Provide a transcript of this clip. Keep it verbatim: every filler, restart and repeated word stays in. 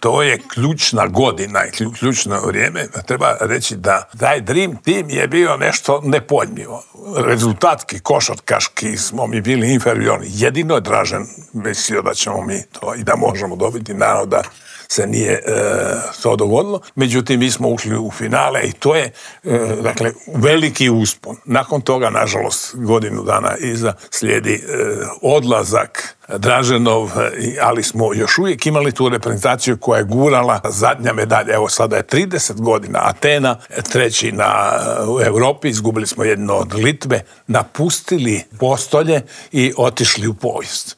To je ključna godina i ključno vrijeme. Treba reći da taj Dream Team je bio nešto nepojmljivo. Rezultatski, košarkaški smo mi bili inferiorni. Jedino je Dražen mislio da ćemo mi to i da možemo dobiti, naravno da se nije e, to dogodilo. Međutim, mi smo ušli u finale i to je e, dakle, veliki uspon. Nakon toga, nažalost, godinu dana iza slijedi e, odlazak Draženov, ali smo još uvijek imali tu reprezentaciju koja je gurala zadnja medalja. Evo sada je trideset godina Atena, treći na, u Europi, izgubili smo jedno od Litve, napustili postolje i otišli u povijest.